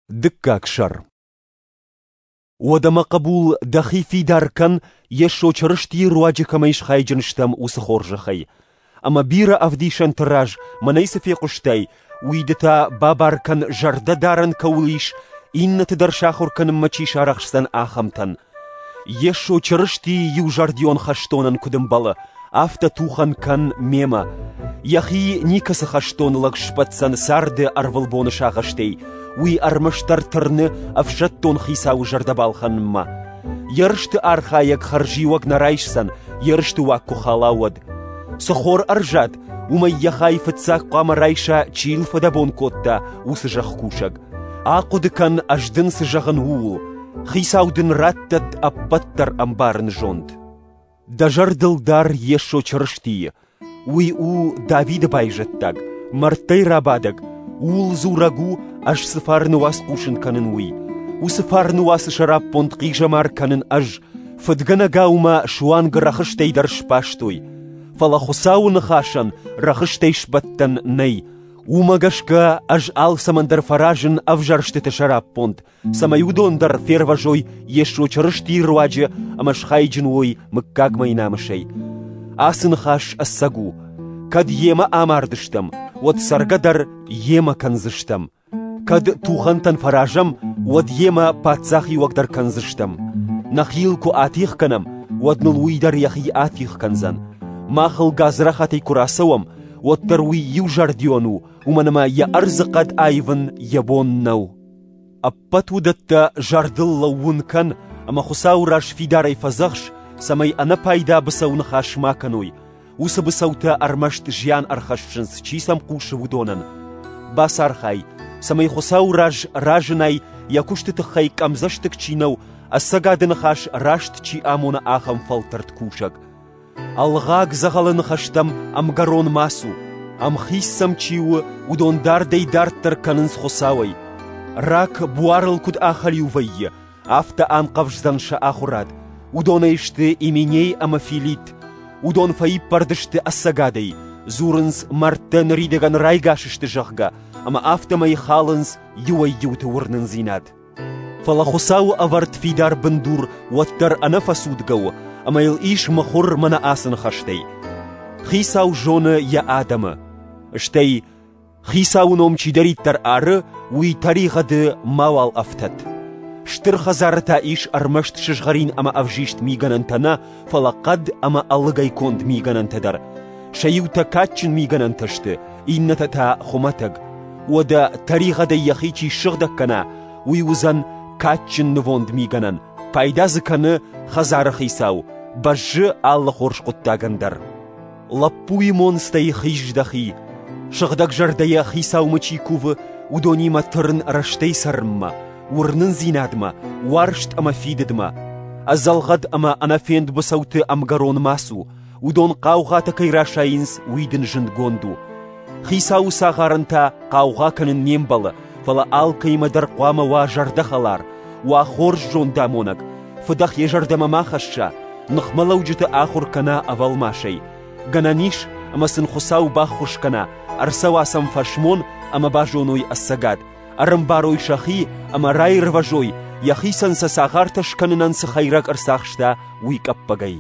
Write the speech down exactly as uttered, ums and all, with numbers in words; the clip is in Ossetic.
Дыккаг сӕр. Уӕдӕ, мӕ хъӕбул, дӕхи фидар кӕн, Йесо Чырыстийы руаджы кӕмӕй схайджын стӕм, уыцы хорзӕхӕй. Ӕмӕ бирӕ ӕвдисӕнты раз мӕнӕй цы фехъуыстай, уый ды та бабар кӕн, зӕрдӕдарӕн кӕуыл ис, иннӕты дӕр сахуыр кӕнынмӕ чи сарӕхсдзӕн, ахӕмтӕн. Йесо Чырыстийы иузӕрдион хӕстонӕн куыд ӕмбӕлы, афтӕ тухӕн кӕн мемӕ. Йӕхи никӕцы хӕстон лӕг сбӕтдзӕн царды ӕрвылбоны сагъӕстӕй, уый ӕрмӕстдӕр тырны ӕфсӕддон хицауы зӕрдӕ балхӕнынмӕ. Ерысты архайӕг хӕрзиуӕг нӕ райсдзӕн, ерысты уаг куы хала, уӕд. Цы хор ӕрзад, уымӕй йӕ хай фыццаг хъуамӕ райса, чи йыл фыдӕбон кодта, уыцы зӕхкусӕг. Ахъуыды кӕн, ӕз дын цы зӕгъын, ууыл. Хицау дын раттӕд ӕппӕт дӕр ӕмбарыны зонд. Дӕ зӕрдыл дар Йесо Чырыстийы. Уый у Давиды байзӕддаг, мӕрдтӕй рабадӕг, ууыл дзурӕг у, ӕз цы фарны уац хъусын кӕнын, уый. Уыцы фарны уацы сӕраппонд хъизӕмар кӕнын ӕз, фыдгӕнӕгау мӕ суанг рӕхыстӕй дӕр сбастой. Фӕлӕ Хуыцауы ныхасӕн рӕхыстӕй сбӕттӕн нӕй. Уымӕ гӕсгӕ ӕз алцӕмӕн дӕр фӕразын ӕвзӕрстыты сӕраппонд, цӕмӕй уыдон дӕр фервӕзой Йесо Чырыстийы руаджы ӕмӕ схайджын уой мыггагмӕйы намысӕй. Ацы ныхас ӕцӕг у. Кӕд йемӕ амардыстӕм, уӕд цӕргӕ дӕр йемӕ кӕндзыстӕм. Кӕд тухӕнтӕн фӕразӕм, уӕд йемӕ паддзахиуӕг дӕр кӕндзыстӕм. Нӕхи йыл куы атигъ кӕнӕм, уӕд ныл уый дӕр йӕхи атигъ кӕндзӕн. Мах ыл гадзрахатӕй куы рацӕуӕм, уӕддӕр уый иузӕрдион у, уымӕн ӕмӕ йӕ ӕрдзыхъӕд аивын йӕ бон нӕу. Ӕппӕт уыдӕттӕ зӕрдыл лӕууын кӕн ӕмӕ Хуыцауы раз фидарӕй фӕдзӕхс, цӕмӕй ӕнӕпайда быцӕу ныхас ма кӕной. Уыцы быцӕутӕ ӕрмӕст зиан ӕрхӕссынц, чи сӕм хъусы, уыдонӕн. Бацархай, цӕмӕй Хуыцауы раз разынай, йӕ куысты тыххӕй къӕмдзӕстыг чи нӕу, ӕцӕгады ныхас раст чи амоны, ахӕм фӕлтӕрд кусӕг. Ӕлгъаг дзӕгъӕлы ныхӕстӕм ӕмгӕрон ма цу. Ӕмхиц сӕм чи у, уыдон дардӕй дарддӕр кӕнынц Хуыцауӕй. Рак буарыл куыд ахӕлиу вӕййы, афтӕ анхъӕвздзӕн сӕ ахуырад. Уыдонӕй сты Именей ӕмӕ Филит. Уыдон фӕиппӕрд сты ӕцӕгадӕй, дзурынц, мӕрдтӕ ныридӕгӕн райгас сты, зӕгъгӕ, ӕмӕ афтӕмӕй халынц иуӕй-иуты уырнындзинад. Фӕлӕ Хуыцауы ӕвӕрд фидар бындур уӕддӕр ӕнӕфӕцудгӕ у, ӕмӕ йыл ис мыхуыр мӕнӕ ацы ныхӕстӕй: Хицау зоны йӕ адӕмы. Стӕй Хицауы ном чидӕриддӕр ары, уый тӕригъӕды мауал ӕфтӕд. Стыр хӕдзары та ис ӕрмӕст сызгъӕрин ӕмӕ ӕвзист мигӕнӕнтӕ нӕ, фӕлӕ хъӕд ӕмӕ ӕлыгӕй конд мигӕнӕнтӕ дӕр. Сӕ иутӕ кадджын мигӕнӕнтӕ сты, иннӕтӕ та хуымӕтӕг. Уӕдӕ тӕригъӕдӕй йӕхи чи ссыгъдӕг кӕна, уый уыдзӕн кадджын нывонд мигӕнӕн, пайда дзы кӕны хӕдзары хицау, бӕззы алы хорз хъуыддагӕн дӕр. Лӕппуйы монцтӕй хиз дӕхи. Сыгъдӕгзӕрдӕйӕ хицаумӕ чи кувы, уыдонимӕ тырн рӕстӕй цӕрынмӕ, уырнындзинадмӕ, уарзт ӕмӕ фидыдмӕ. Ӕдзӕлгъӕд ӕмӕ ӕнӕфенд быцӕуты ӕмгӕрон ма цу, уыдон хъаугъатӕ кӕй расайынц, уый дын зындгонд у. Хицауы цагъарӕн та хъаугъа кӕнын не мбӕлы, фӕлӕ алкӕимӕ дӕр хъуамӕ уа зӕрдӕхӕлар, уа хорз зондамонӕг, фыдӕх йӕ зӕрдӕмӕ ма хӕсса, ныхмӕлӕуджыты ахуыр кӕна ӕвӕлмасӕй. Гӕнӕн ис, ӕмӕ сын Хуыцау баххуыс кӕна, ӕрцӕуа сӕм фӕсмон ӕмӕ базоной ӕцӕгад, ӕрӕмбарой сӕхи ӕмӕ раирвӕзой, йӕхицӕн сӕ цагъартӕ скӕнынӕн цы хӕйрӕг ӕрцахста, уый къӕппӕгӕй.